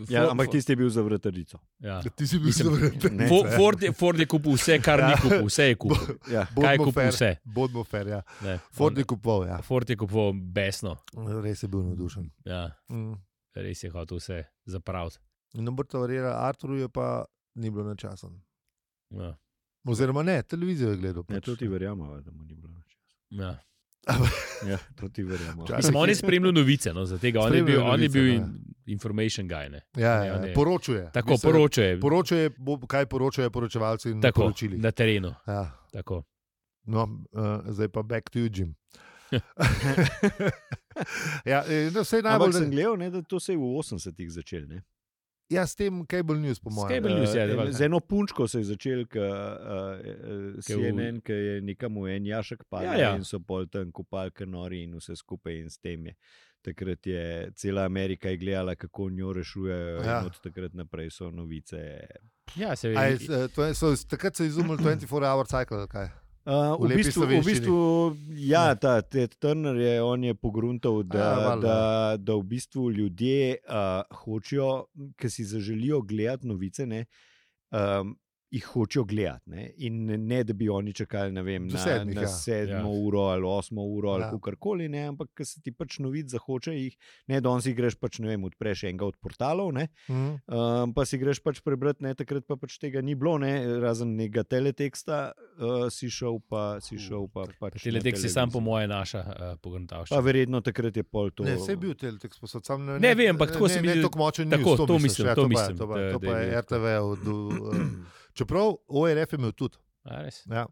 Ja, for- ampak tisti je bil za vratarnico. ja. Ti si bil Mislim, zelo ne. Fo- Ford, je, Ford je kupil vse, kar ni kupil, vse je kupil. Ja. Kaj je kupil vse? Bodmo fair, ja. Ne. Ford je kupoval, ja. Ford je kupil besno. Res je bil navdušen. Ja, Mm. res je hotel vse zapraviti. Ne morete verjeti, Arturu je pa ni bilo na času. Ja. Oziroma ne, televizijo je gledal. Ne, pač. to ti verjamemo, da mu ni bilo nič. Ja. Ja, to ti verjamemo. Včasih- Mislim, on je spremljal novice, no, za tega. On je bil, Spremljal on je novice, bil ne. in, information guy. Ne. Ja, Ne, ja, on je- poročuje. Tako Mislim, poročajo. Poročajo, bo- kaj poročajo poročevalci na Tako, poročilih. na terenu. Ja. Tako. No, uh, zdaj pa back to you, Jim. ja, eh, no, vse Ampak najbolj sem gledal, ne, da to se je v osemdesetih začel. Ne? Ja, s tem Cable News, po S mojem. Cable News, ja, Eh, da- Z eno punčko se je začel, ki uh, C N N, ki je nekam v en jašek padel Ja, ja. in so pol tam kopali kanori in vse skupaj in s tem je. Takrat je cela Amerika je gledala, kako njo rešujejo Ja. in od takrat naprej so novice. Ja, se A je, vidi. eh, to je, so, takrat so izumili dvajset-ur hour cycle, ali kaj? Uh, V v, lepi bistvu, v slovenščini. bistvu, ja, ta Ted Turner je, on je pogruntal, da, Ja, ja, valjda. da, da v bistvu ljudje uh, hočejo, ki si zaželijo gledati novice, ne, um, jih hočejo gledati. Ne, in ne, da bi oni čakali ne vem, Do na, sedmih, na ja. sedmo Ja. uro ali osmo uro ali Ja. kakorkoli, ne, ampak ker se ti pač novic zahoče, jih ne, da on si greš pač, ne vem, odpreš enega od portalov, ne, Mhm. Um, pa si greš pač prebrati, ne, takrat pa pač tega ni bilo, ne, razen nekega teleteksta, uh, si šel pa, si šel pa pač. Teletek si sam po mojem. moje naša uh, Pa pogruntavščina. verjetno takrat je pol to. Ne, vse je bil Teletek sposod, sam ne, Ne vem, ampak tako ne, se mi ne, zdi- ne toliko močen tako, news, to, to misliš, mislim, ja, to pa je- mislim, To pa, da- to da pa je je bil R T V. Od, uh, čeprav O R F je imel tudi. A, res? Ja,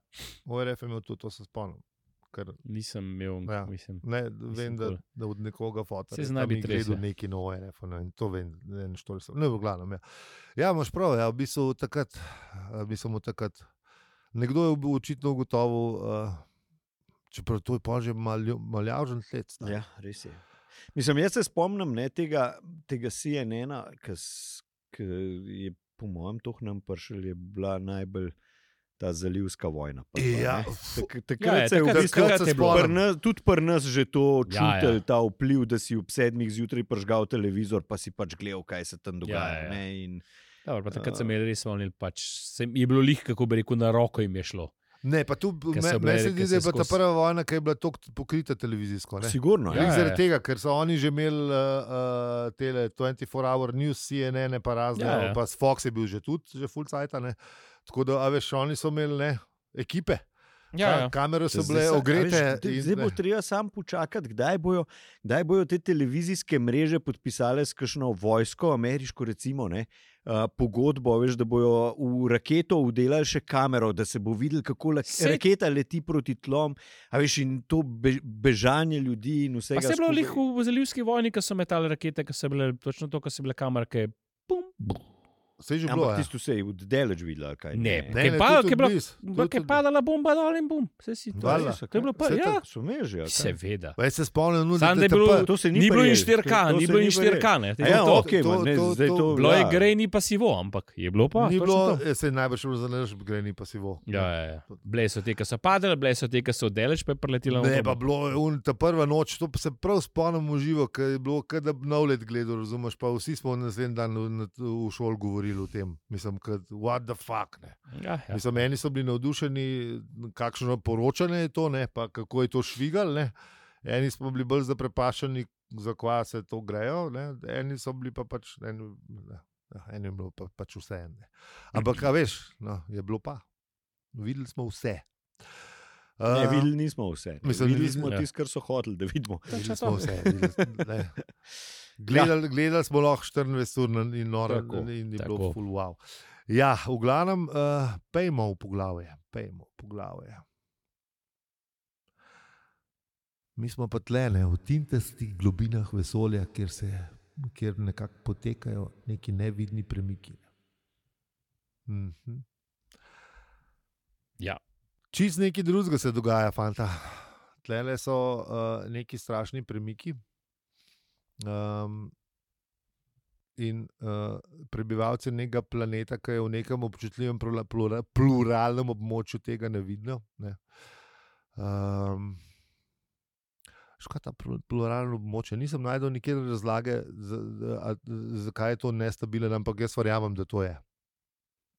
O R F je imel tudi, to se spomnim. Ker, Nisem imel, ja, mislim. ne, vem, da, da od nekoga fotora. Se zna biti res, gledal ja. neki na O R F, ne, in to vem, ne, što sem. Ne, v glavnem, ja. Ja, imaš prav, ja, v bistvu takrat, v bistvu takrat, nekdo je očitno ugotovil, uh, čeprav to je pa že maljavžen let. Ja, res je. Mislim, jaz se spomnim ne, tega, tega C N N-a, ki je po mojem toh nam prišel, je bila najbolj ta zalivska vojna. Pa, ja, tak, takrat ja, se je v bistvu tudi pri nas že to čutil, ja, ja. Ta vpliv, da si ob sedmih zjutraj pržgal televizor, pa si pač gledal, kaj se tam dogaja. Ja, ja. Ne, in, Dobar, pa takrat uh, sem imel res volnil, pač sem, je bilo lih, kako bi rekel, na roko jim je šlo. Ne, pa tu me, me se zdi, da je bila ta prva vojna, ki je bila toliko pokrita televizijsko. Ne? Sigurno. Ja, zaradi ja. tega, ker so oni že imeli uh, tele dvajset štiri hour news, C N N, pa razne, ja, ja. Pa Fox je bil že tudi, že full cajta, ne. Tako da, a veš, oni so imeli, ne, ekipe. Ja, ja. Kamere so bile ogrete. Zdaj bo treba sam počakati, kdaj bojo, kdaj bojo te televizijske mreže podpisale s kakšno vojsko, ameriško recimo, ne, uh, pogodbo, veš, da bojo v raketo vdelali še kamero, da se bo videl, kako la, raketa leti proti tlom, a veš, in to be, bežanje ljudi in vsega. Pa se je bilo lih v zalivski vojni, ko so metali rakete, ko so bile točno to, ko so bile kamerke, pum, bum. Se je že bilo, ampak tisto se je v delež videl, kaj ne. Ne, ne, ne, ker je padala bomba dol in bum. Se si to Dala. To je bilo pa, ja. So meži, seveda. Pa jaz se spomnim, no, Sam, da je bilo, pa, to se ni ni bilo in prijel. štiri K, To- to ni se bilo ni in štiri K, ne. A ja, to, okej, to- man, ne, to- zdaj to- to bilo je ja. grej, ni pa sivo, ampak je bilo pa. ni točno bilo, to. se je najbolj šlo za naš greni pasivo. Ja, ja, ja. Bile so te, ki so padale, bile so te, ki so delež, pa je preletela. Ne, v pa bombo. bilo je un, ta prva noč, to pa se prav spomnim v živo, ker je bilo, kad da bi nov let gledal, razumeš, pa vsi smo naslednji dan v, v šoli govorili o tem. Mislim, kad, what the fuck, ne. Ja, ja. Mislim, eni so bili navdušeni, kakšno poročanje je to, ne, pa kako je to švigal, ne. Eni smo bili bolj zaprepašeni, za kva se to grejo, ne. Eni so bili pa pač, eni, ne, eni je bilo pa, pač vse. Ne. Ampak, a veš, no, je bilo pa. Videli smo vse. Ne, Uh, videli nismo vse. Ne. mislim, Videli videli- smo ja. tisto, kar so hoteli, da vidimo. Videli smo vse. Videli, ne. Gledali, gledali smo lahko štiriindvajset ur na- in noro Tako, in je tako. bilo full wow. Ja, v glavnem, uh, pejmo v poglavje. Pejmo v poglavje. Mi smo pa tlene v tintastih globinah vesolja, kjer, se, kjer nekako potekajo neki nevidni premiki. Mhm. Ja. Čist nekaj drugega se dogaja, fanta. Tlele so uh, neki strašni premiki. Um, in uh, prebivalci nekega planeta, ki je v nekem občutljivem plura, plura, pluralnem območju, tega ne vidijo. Ne. Um, Škoda ta pl- pluralno območje. Nisem najdel nikjer razlage, zakaj je to nestabilen, ampak jaz verjamem, da to je.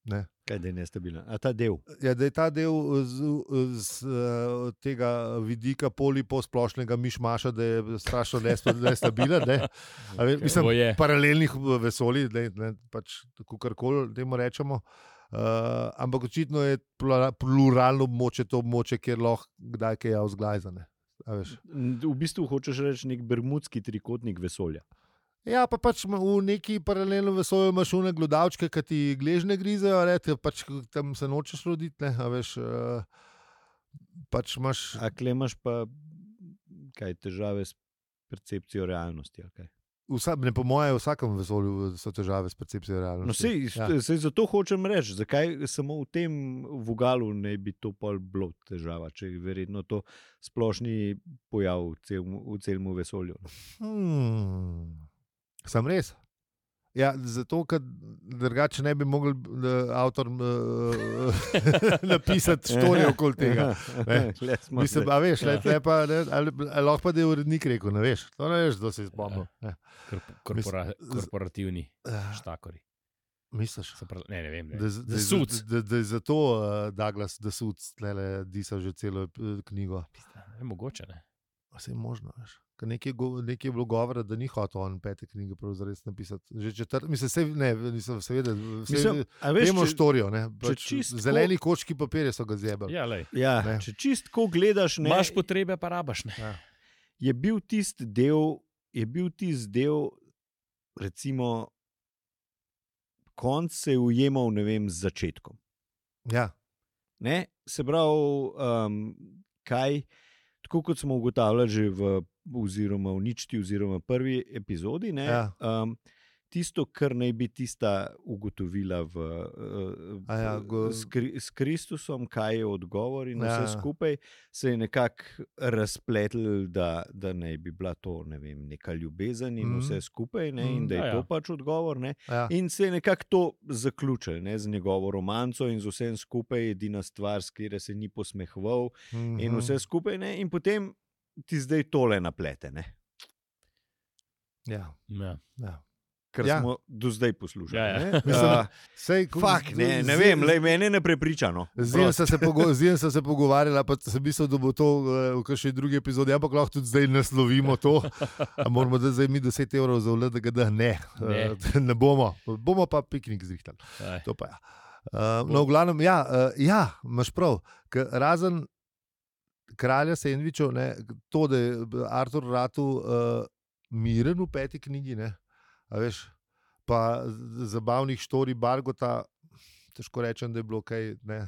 Ne. Kaj da je nestabilen? A ta del? Ja, da je ta del z, z uh, tega vidika poliposplošnega mišmaša, da je strašno nesta- nestabilen. Ne? A ve- Mislim, To je. paralelnih vesolij, ne, ne, pač kakorkoli temu rečemo. Uh, ampak očitno je plura- pluralno območje to območje, kjer lahko kdaj kaj je vzglajzane. V bistvu hočeš reči nek bermudski trikotnik vesolja. Ja, pa pač ma- v neki paralelnem vesolju imaš une glodavčke, ki ti gležne grizejo, ne, te pač tam se nočeš roditi, ne, a veš, uh, pač imaš... A klemaš pa kaj težave s percepcijo realnosti? ali kaj? Vsa, ne, po moje, v vsakem vesolju so težave s percepcijo realnosti. No, sej, Ja. sej zato hočem reči, zakaj samo v tem vogalu ne bi to pol bilo težava, če je verjetno to splošni pojav v celem, v celem vesolju. Hmm. Sem res? Ja, zato, ker drugače ne bi mogel uh, avtor uh, napisati štorije okoli tega. Ne. Tule smo Mislim, zdaj. a veš, le, le pa, ne, ali, ali lahko pa da je urednik rekel, ne veš, to ne veš, kdo se je spomnil. Ne. Korp- korpora, Mislim, z- korporativni Uh, štakori. misliš? Se pravi, ne, ne vem. Ne. Da, z- da, The je Suits. za- da, da je zato uh, Douglas The Suits tlele disa že celo uh, knjigo. Je mogoče, ne. Vse je možno, veš. Ker nekaj, go- nekaj je bilo govora, da ni hotel on pete knjige zares napisati. Že četrt, mislim, se, ne, nisem seveda, Mislim, a veš, vemo če- štorijo, ne. če Pač čist zeleni kočki papirja so ga zjebali. Ja, lej. Ja, Ne. če čistko gledaš, ne, Imaš potrebe, pa rabaš, ne. Ja. je bil tisti del, je bil tisti del, recimo, konc se je ujemal, ne vem, z začetkom. Ja. Ne? Se pravi, um, kaj, tako kot smo ugotavljali že v, oziroma v ničti, oziroma prvi epizodi, ne, Ja. um, tisto, kar naj bi tista ugotovila v, uh, A ja, go- s, Kri, s Kristusom, kaj je odgovor in vse Ja. skupaj, se je nekako razpletlo, da, da naj bi bila to, ne vem, neka ljubezen in Mhm. vse skupaj, ne, Mhm. in da je Ja, ja. to pač odgovor. Ne. Ja. In se je nekako to zaključilo, ne, z njegovo romanco in z vsem skupaj, edina stvar, s katero se ni posmehoval, Mhm. in vse skupaj, ne, in potem ti zdaj tole naplete, ne, Ja. Ja. Ja. kar Ja. ja. smo do zdaj poslušali. Ja, ja. ne. Mislim, Uh, Sej, Fak, ne, ne vem, lej, mene ne prepriča. No. Z njim sem se, pogo z njim sem se pogovarjala, pa sem mislil, da bo to uh, v kakšni drugi epizodi, ampak lahko tudi zdaj naslovimo to. A moramo da zdaj mi deset evrov za vled, da ga da ne. Ne. Uh, ne bomo, bomo pa piknik zrihtali. Aj. To pa ja. Uh, no, v glavnem, ja, uh, ja imaš prav. K, razen kralja sendvičev, ne, to, da je Artur Ratu uh, miren v peti knjigi, ne, a veš, pa z- zabavnih štorij Bargota, težko rečem, da je bilo kaj. Ne,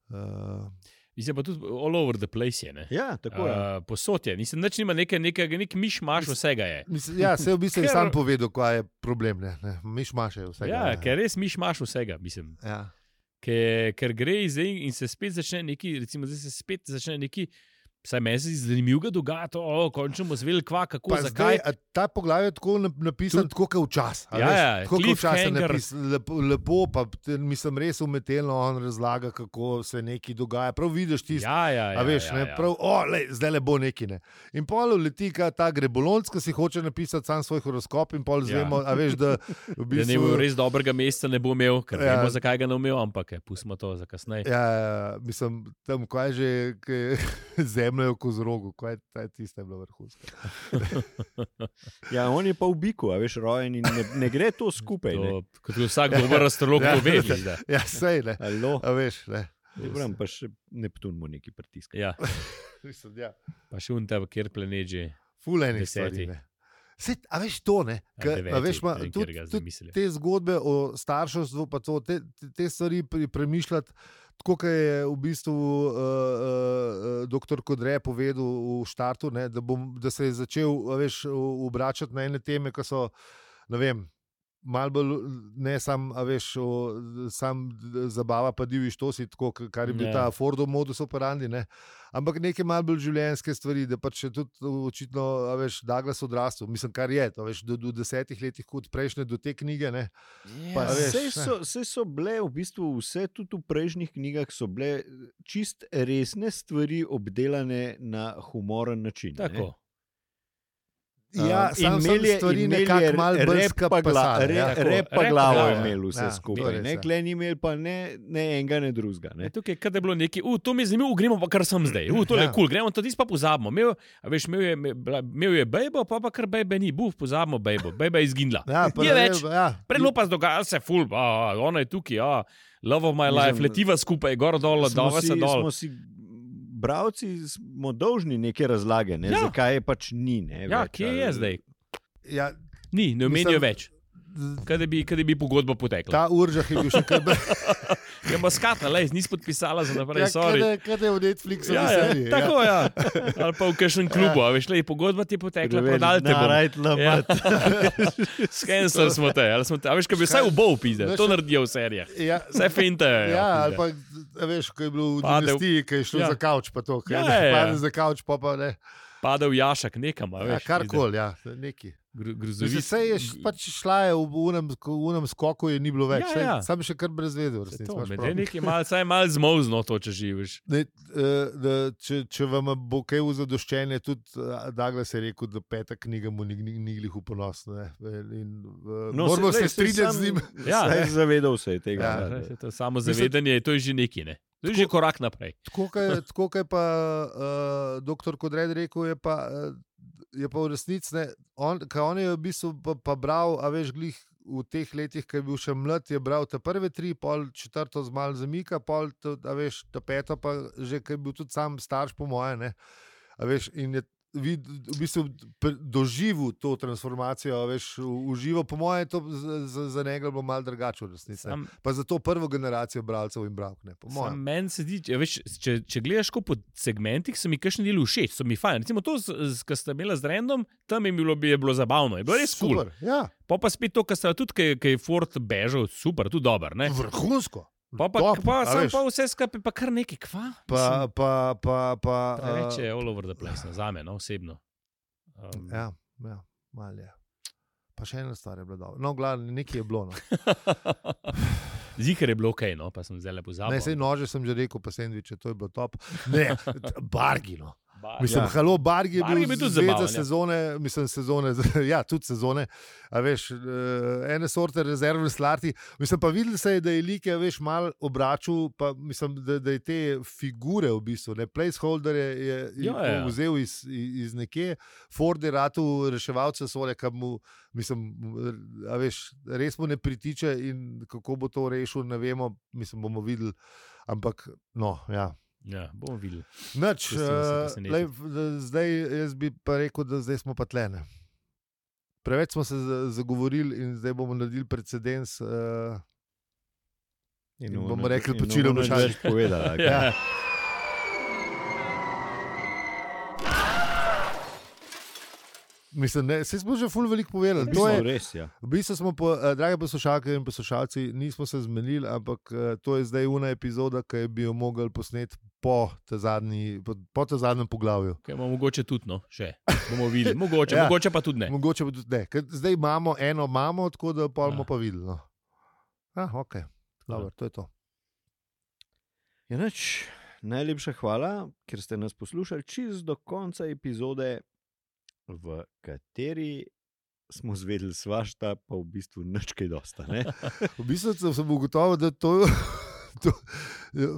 uh, Mislim pa tudi all over the place je. Ne? Ja, tako je. Uh, posod je, nisem nič nima nekaj, nekaj, nek miš-maš vsega je. mislim, ja, se je v bistvu Ker- sam povedal, kaj je problem. Ne, ne, miš maše vse. Ja, ker res miš-maš vsega, mislim. Ja. Ker, ker gre zdaj in se spet začne neki, recimo zdaj se spet začne neki, vsaj meni se zdi zanimivo dogajati, o, končno bomo zvedeli, kva, kako, Pa zakaj. zdaj, a ta poglavje je tako nap- napisan, tako kot včasih. Ja, ja, tako kot včasih cliffhanger. napisan, lepo, lepo, pa te- mislim, res umetelno on razlaga, kako se nekaj dogaja. Prav vidiš tisto. Ja, ja, ja. A veš, ja, ne, ja. prav, o, lej, zdaj le bo neki. Ne. In pol leti ka ta grebolonc, ki si hoče napisati sam svoj horoskop, in pol Ja. zvemo, a veš, da v Da ne bo bistvu. res dobrega meseca ne bo imel, ker Ja. ja. vemo, zakaj ga ne bo imel, ampak je, pustimo to za kasneje. Ja, ja, mislim, tam, kaj je že, kaj je zemlja v kozorogu, kaj je ta- tista je bila vrhunska. Ja, on je pa v biku, a veš, rojen in ne, ne gre to skupaj. Ne. To, kot vsak dober astrolog Ja. to ve. Da. Ja, sej ne. Alo, A veš, ne. Dobram, pa še Neptun mu neki pritiska. Ja, Mislim, ja. pa še unta, kjer planet že. Fulejnih Deseti. stvari. Ne. Sej, a veš to, ne? Ja, Ka, deveti, a veš, ma, ne vem, tudi, katerega zdaj tudi mislijo. te zgodbe o starševstvu, pa to, te, te, te stvari pri, premišljati, tako kot je v bistvu uh, uh, doktor Kodre povedal v štartu, ne, da, bom, da se je začel a veš, obračati na ene teme, ki so, ne vem, malo bolj, ne sam, a veš, o, sam zabava, pa divji štosi, tako, k- kar je bil Ja. ta Fordov modus operandi, ne. Ampak neke malo bolj življenjske stvari, da pač je tudi očitno, a veš, Douglas odrastel, mislim, kar je, a veš, do, do desetih letih kot prejšnje, do te knjige, ne. Pa, a veš, Sej ne. so, sej so bile v bistvu vse, tudi v prejšnjih knjigah, so bile čist resne stvari obdelane na humoren način. ne. Tako. Ja, Um, sam sem imel je- stvari imel je nekako malo bolj rep pa gla- skapasane, re- ja. Tako, Rep pa rep pa glavo glavo, je ja. imel vse Ja, to skupaj. res, Ne, ja. Kle ni imel pa ne, ne enega, ne drugega. Ne. Ne, tukaj, kad je bilo neki, uh, to mi je zanimivo, gremo pa kar sem zdaj. Uh, to je Ja. kul, cool, gremo to tisto pa pozabimo. Imel, a veš, imel je, imel je bejbo, pa pa kar bejbe ni, buf, pozabimo bejbo, bejba je izginila. Ja, pa Ni ne več. vem, ja. Predno pa dogaja se ful, a, a, ona je tukaj, a, love of my Mislim, life, letiva skupaj, gor dol, Smo dol, si- se dol. Smo si bravci smo dolžni neke razlage, ne, Ja. zakaj je pač ni. Ne, Ja, več, kje je ali- zdaj? Ja, Ni, ne omenijo Mislim- več. Kaj bi, kaj bi pogodba potekla? ta uržah je bil še kar bolj. Je maskata, lej, nisi podpisala za naprej, Ja, sorry. kaj je v Netflixu? Ja, ja, tako ja. Ali pa v kakšnem klubu, a veš, lej, pogodba ti je potekla, prodali te bomo. Ja. Skencer smo te, ali smo te, a veš, kaj bi vsaj v bol pizde, Veš, to naredijo v serijah. Ja, Vse finte. ja, ali pa, a veš, ko je bilo v Padel- dinastiji, ki je šlo Ja. za kavč, pa to, ki Ja, je ja, ja. padel za kavč, pa pa ne. Padel jašak nekam, a Ja, veš. karkoli, ja, neki. Grozovic. Vse je š- pač šla je v unem, v unem skoku, je ni bilo več. Ja, ja. Sam še kar brez vedel. Se to, med je nekaj mal, saj mal zmozno to, če živiš. Ne, uh, da, če, če vam bo kaj v zadoščenje, tudi uh, Douglas je rekel, da peta knjiga mu ni, ni, ni glih v ponos. Ne. In, uh, No, moramo se- se lej, saj strinjati sam- z njim. Ja, saj ne. zavedal se je tega. Ja, ne, Ja, da- saj to samo zavedanje, to je že neki, ne. To je že korak naprej. Tako kot tako kot je pa uh, doktor Kodred rekel, je pa, uh, je pa v resnici, ne, on, kaj on je v bistvu pa, pa bral, a veš, glih v teh letih, ko je bil še mlad, je bral te prve tri, pol četrto z malo zamika, pol, to, a veš, ta peto pa že, ko je bil tudi sam starš, po moje, ne, a veš, in je vid, v bistvu doživel to transformacijo, veš, užival. Po mojem je to za, za njega bilo malo drugače v resnici. Sam, pa za to prvo generacijo bralcev in bralk. Meni se zdi, veš, če, če gledaš po segmentih, so mi kakšni deli všeč, so mi fajn. Recimo to, kar sta imela z Random, tam je bilo, je bilo zabavno, je bilo res super. Cool. Ja. Pa pa spet to, kar sta tudi, kaj je Ford bežal, super, tudi dober. Ne? Vrhunsko. Pa, pa, Top, pa, sam pa vse skupaj, pa kar nekaj, kva? Pa, pa, pa, pa, preveč je all over the place, za me, no, osebno. Um. Ja, ja, malo je. Pa še ena stvar je bila dobra. No, glavno, nekaj je bilo, no. Zihar je bilo okej, okay, no, pa sem zdaj lepo zabaval. Ne, sej nože sem že rekel, pa sendviče, to je bilo top. Ne, bargi, no. Bar, mislim, ja. halo, Bargi je Bargi bil tudi zvezda sezone, mislim, sezone, ja, tudi sezone, a veš, ene sorte rezervne slarti, mislim, pa videl se je, da je Like, veš, mal obračal, pa mislim, da, da je te figure v bistvu, ne, placeholder je, je, jo, je vzel iz, iz nekje, Ford je ratu reševalce sole, kam mu, mislim, a veš, res mu ne pritiče in kako bo to rešil, ne vemo, mislim, bomo videli, ampak, no, ja. Ja, bomo videli. Nač, uh, lej, zdaj jaz bi pa rekel, da zdaj smo pa tlene. Preveč smo se zagovorili in zdaj bomo naredili precedens uh, in, in bomo rekli, počilo boš več povedati. Ja. Mislim, ne, saj smo že ful veliko povedali. To je res, ja. V bistvu smo, po, uh, drage poslušalke in poslušalci, nismo se zmenili, ampak uh, to je zdaj una epizoda, ki bi jo mogli posneti po te zadnji, po, po te zadnjem poglavju. Okay, mogoče tudi, no, še. Bomo videli. Mogoče, ja, mogoče pa tudi ne. Mogoče pa tudi ne. Ker zdaj imamo eno mamo, tako da pa bomo ja. pa videli. No. Ah, ok. Dobar, ja. To je to. Ja, nač, najlepša hvala, ker ste nas poslušali čist do konca epizode, v kateri smo zvedeli svašta, pa v bistvu nič kaj dosta. Ne? V bistvu sem ugotovil, da to, to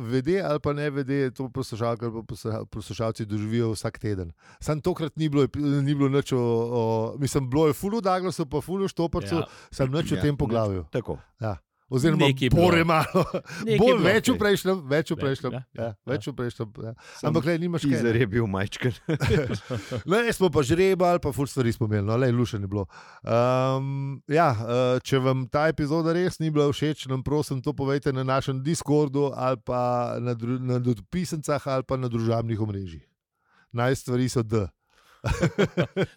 vede ali pa ne vede, to poslušalke ali pa poslušalci doživijo vsak teden. Sam tokrat ni bilo, ni bilo nič o, o, mislim, bilo je ful v Douglasu, pa ful v Štoparcu, ja. Sam nič ja, o tem poglavju. Tako. Ja. Oziroma, bore malo, bolj več v prejšnjem, več v prejšnjem, ja, ja, več v prejšnjem. Ja. Ampak, le, nimaš kaj. Teaser je bil majčken. Le, smo pa žrebali, pa ful stvari smo imeli, no, le, lušen je bilo. Um, ja, če vam ta epizoda res ni bila všeč, nam prosim to povejte na našem Discordu ali pa na, na dopisencah ali pa na družabnih omrežjih. Naj stvari so D.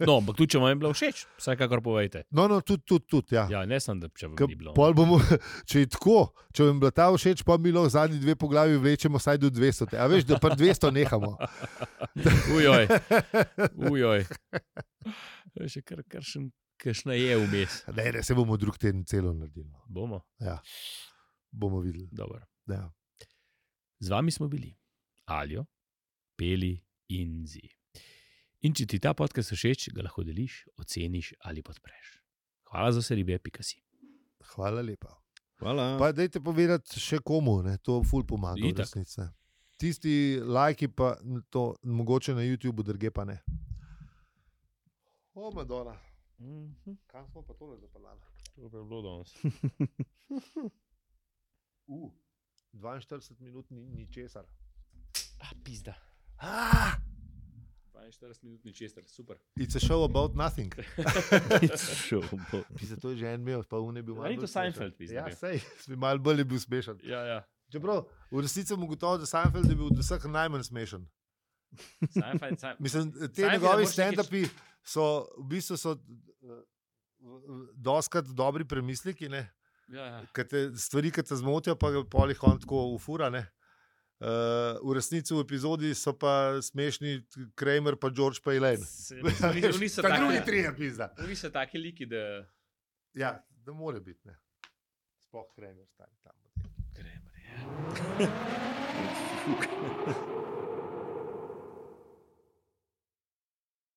No, ampak tudi, če vam je bilo všeč, vsekakor povejte. No, no, tudi, tudi, tudi, ja. Ja, ne sem, da če vam K, ni bilo. Bomo, če je tako, če vam je bila ta všeč, pa mi lahko zadnji dve poglavi vlečemo saj do dvesto. A veš, da pa dvesto nehamo. Ujoj, ujoj. Še kar, kar še kakšna je vmes. Ne, ne, se bomo drug teden celo naredili. Bomo? Ja, bomo videli. Dobro. Ja. Z vami smo bili Aljo, Peli in Zi. In če ti ta podcast všeč, ga lahko deliš, oceniš ali podpreš. Hvala za vse ribe, pika si. Hvala lepa. Hvala. Pa dajte povedati še komu, ne? To ful pomaga v resnici. Tisti lajki pa to mogoče na YouTubeu, druge pa ne. O, Madonna. Mm-hmm. Kam smo pa tole zapeljali? To je bilo danes. uh, dvainštirideset minut ni, ni česar. Ah, pizda. Ah! dvainštirideset minut ni česar, super. It's a show about nothing. It's a show about... Pisa, to je že en imel, pa on je bil malo bolj smešen. Seinfeld, pisa. Ja, sej, malo bolj je bil smešen. Ja, ja. Čeprav, v resnici sem ugotovil, da Seinfeld je bil od vseh najmanj smešen. Seinfeld, Seinfeld. Mislim, te njegovi stand-upi so, v bistvu so uh, doskrat dobri premisliki, ne? Ja, ja. Kate, stvari, ki te zmotijo, pa polih on tako ufura, ne? Uh, v resnici v epizodi so pa smešni Kramer pa George pa Elaine. Ta drugi trije pizda. Oni so taki liki, da... Ja, da more biti, ne. Sploh Kramer stari tam. Kramer, ja.